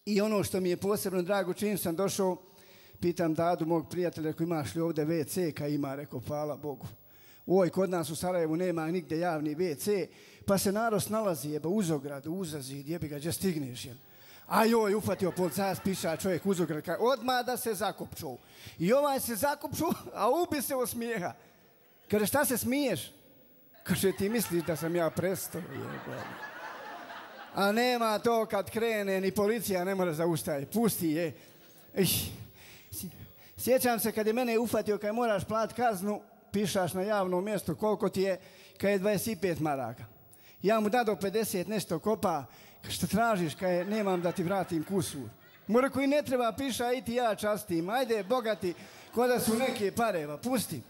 I ono što mi je posebno drago, čim sam došao, pitam Dadu, mog prijatelja, ako imaš li ovdje WC, kaj ima, rekao, hvala Bogu. Oj, kod nas u Sarajevu nema nigdje javni WC, pa se narod snalazi, jeba, uz ogradu, uza zid, jebi ga, gdje stigneš, jel? A joj, ufatio policajac, piša čovjek uz ogradu, kaj, odmah da se zakopču. I ovaj se zakopču, a ubi se od smijeha. Kaže, šta se smiješ? Kaže, ti misliš da sam ja prestao, jeba. A nema to kad krene, ni policija ne mora zaustaviti, pusti je. Sjećam se kad je mene ufatio, kad moraš platiti kaznu, pišaš na javnom mjestu koliko ti je, kad je 25 maraka. Ja mu dado 50 nešto kopa, što tražiš, kad je nemam da ti vratim kusur. Mora koji ne treba piša, i ti ja častim, ajde bogati, ko da su neke pareva, pusti.